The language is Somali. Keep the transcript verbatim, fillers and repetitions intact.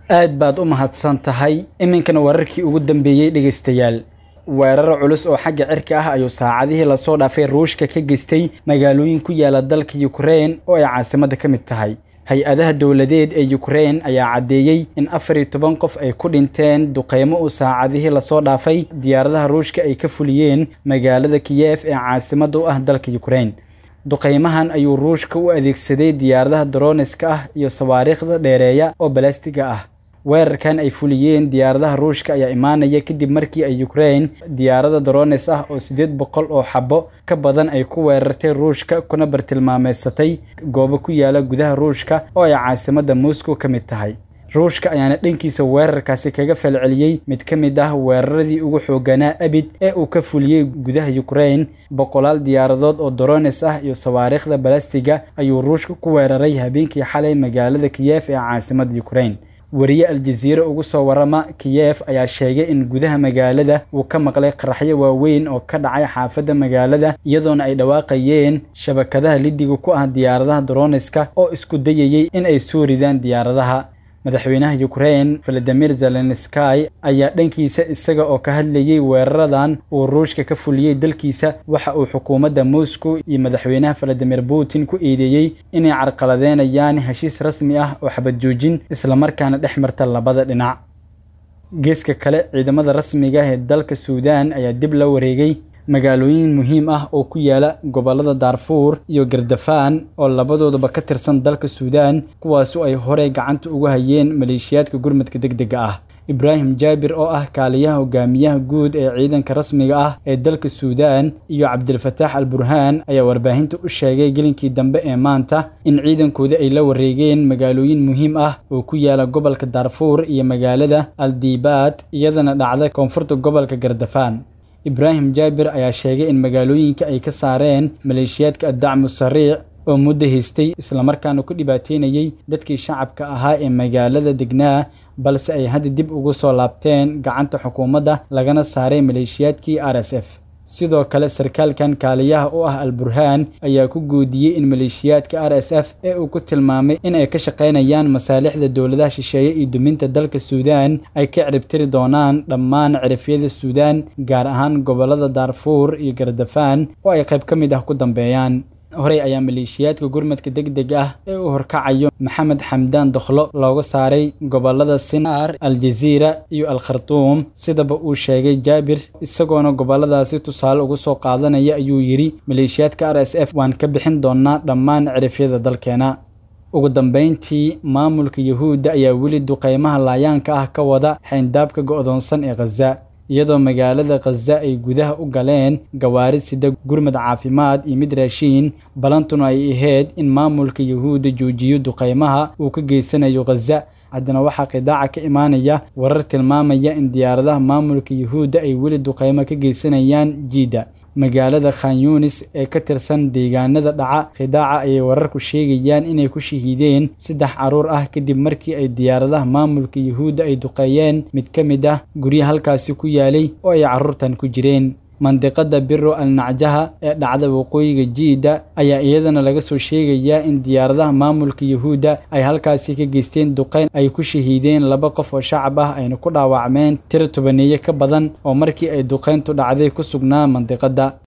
Aad baad u mahadsan tahay. Iminkana wararkii ugu dambeeyey, dhegeystayaal. Weeraro culus oo xagga cirka ah ayuu saacadihii lasoo dhaafay Ruushka ka geystay magaalooyin ku yaala dalka Ukraine oo ay caasimadda ka mid tahay. Hay-adaha dowladeed ee Ukraine ayaa caddeeyey in afar iyo toban qof ay ku dhinteen duqeymo uu saacadihii lasoo dhaafay diyaaradaha Ruushka ay ka fuliyeen magaalada Kiyef ee caasimadda u ah dalka Ukraine. Duqeymahan ayuu Ruushka u adeegsaday diyaaradaha droniska ah iyo sawaariikhda dheereeya oo balastiga ah. Weerarkan ay fuliyeen diyaaradaha Ruushka ayaa imaanaya kadib markii ay Ukraine diyaarada drones ah oo siddeed boqol oo xabo ka badan ay ku weerartay Ruushka, kuna bartilmaameedsatay goobo ku yaala gudaha Ruushka oo ay caasimadda Moscow ka mid tahay. Ruushka ayaana dhankiisa weerarkaasi kaga falceliyey mid ka mid ah weeraradii ugu xoogganaa abid ee uu ka fuliyey gudaha Ukraine. Boqolaal diyaaradood oo drones ah iyo sawaariikhda balastiga ayuu Ruushka ku weeraray habeenkii xalay magaalada Kiyef ee caasimadda Ukraine. Wariye Aljaziira ugu soo warama Kiyef ayaa sheegay in gudaha magaalada uu ka maqlay qaraxyo waaweyn oo ka dhacay xaafadda magaalada, iyadoona ay dhawaaqayeen shabakadaha lidiga ku ah diyaaradaha droniska oo isku dayayay in ay soo ridaan diyaaradaha. Madaxweynaha Ukraine Volodymyr Zelensky ayaa dhankiisa isaga oo ka hadlayay weeraradan uu Ruushka ka fuliyey dalkiisa, waxa uu xukuumadda Moscow iyo madaxweynaha Vladimir Putin ku eedeeyey inay carqaladeynayaan heshiis rasmi ah oo xabad joojin islamarkaana dhex marta labada dhinac. Geeska kale, ciidamada rasmiga ah ee dalka Suudaan ayaa dib la wareegay magaalooyin muhiim ah oo ku yaala gobollada Daarfuur iyo Gardafaan oo labadoodaba ka tirsan dalka Suudaan, kuwaasoo ay horey gacanta ugu hayeen maleeshiyaadka gurmadka degdega ah. Ibraahim Jaabir oo ah kaaliyaha hogaamiyaha guud ee ciidanka rasmiga ah ee dalka Suudaan iyo Cabdilfataax Al Burhaan ayaa warbaahinta u sheegay gelinkii dambe ee maanta in ciidankooda ay la wareegeen magaalooyin muhiim ah oo ku yaala gobolka Daarfuur iyo magaalada Aldiibaad, iyadana dhacda koonfurta gobolka Gardafaan. Ibraahim Jaabir ayaa sheegay in magaalooyinka ay ka saareen maleeshiyaadka Addacmu Sariic oo muddo haystay islamarkaana ku dhibaateynayay dadkii shacabka ahaa ee magaalada degnaa, balse ay hadda dib ugu soo laabteen gacanta xukuumadda lagana saaray maleeshiyaadkii R S F. Sidoo kale, sarkaalkan kaaliyaha u ah Al Burhaan ayaa ku guudiyey in maleeshiyaadka R S F ee uu ku tilmaamay in ay ka shaqaynayaan masaalixda dowladaha shisheeye iyo duminta dalka Suudaan ay ka ciribtiri doonaan dhammaan cirifyada Suudaan, gaar ahaan gobollada Daarfuur iyo Gardafaan oo ay qayb ka mid ah ku dambeeyaan. Horey ayaa maleeshiyaadka gurmadka degdeg ah ee uu horkacayo Maxamed Xamdaan Dokhlo looga saaray gobollada Sinaar, Aljaziira iyo Al Khartuum, sidaba uu sheegay Jaabir. Isagoona gobolladaasi tusaale ugu soo qaadanaya ayuu yidhi: "Maleeshiyaadka R S F waan ka bixin doonaa dhammaan cirifyada dalkeena." Ugu dambeyntii, maamulka Yuhuudda ayaa weli duqeymaha laayaanka ah ka wada xayndaabka go'doonsan ee Khaza, iyadoo magaalada Khaza ay gudaha u galeen gawaari sida gurmad caafimaad iyo mid raashiin, balantuna ay ahayd in maamulka Yuhuudda joojiyo duqeymaha uu ka geysanayo Khaza. Haddana waxaa qidaaca ka imaanaya warar tilmaamaya in diyaaradaha maamulka Yuhuudda ay weli duqeymo ka geysanayaan jiidda magaalada Khan Yunis ee ka tirsan deegaanada dhaca qidaaca. Ayay wararku sheegayaan inay ku shahiideen saddex carruur ah kadib markii ay diyaaradaha maamulka Yuhuudda ay duqeeyeen mid ka mid ah guryo halkaasi ku yaalay oo ay carruurtan ku jireen. Mandiqada Biro Al Nacjaha ee dhacda waqooyiga jiidda ayaa iyadana laga soo sheegayaa in diyaaradaha maamulka Yuhuudda ay halkaasi ka geysteen duqeyn ay ku shahiideen laba qof oo shacab ah, ayna ku dhaawacmeen tiro tobaneeye ka badan oo markii ay duqeyntu dhacday ku sugnaa mandiqada.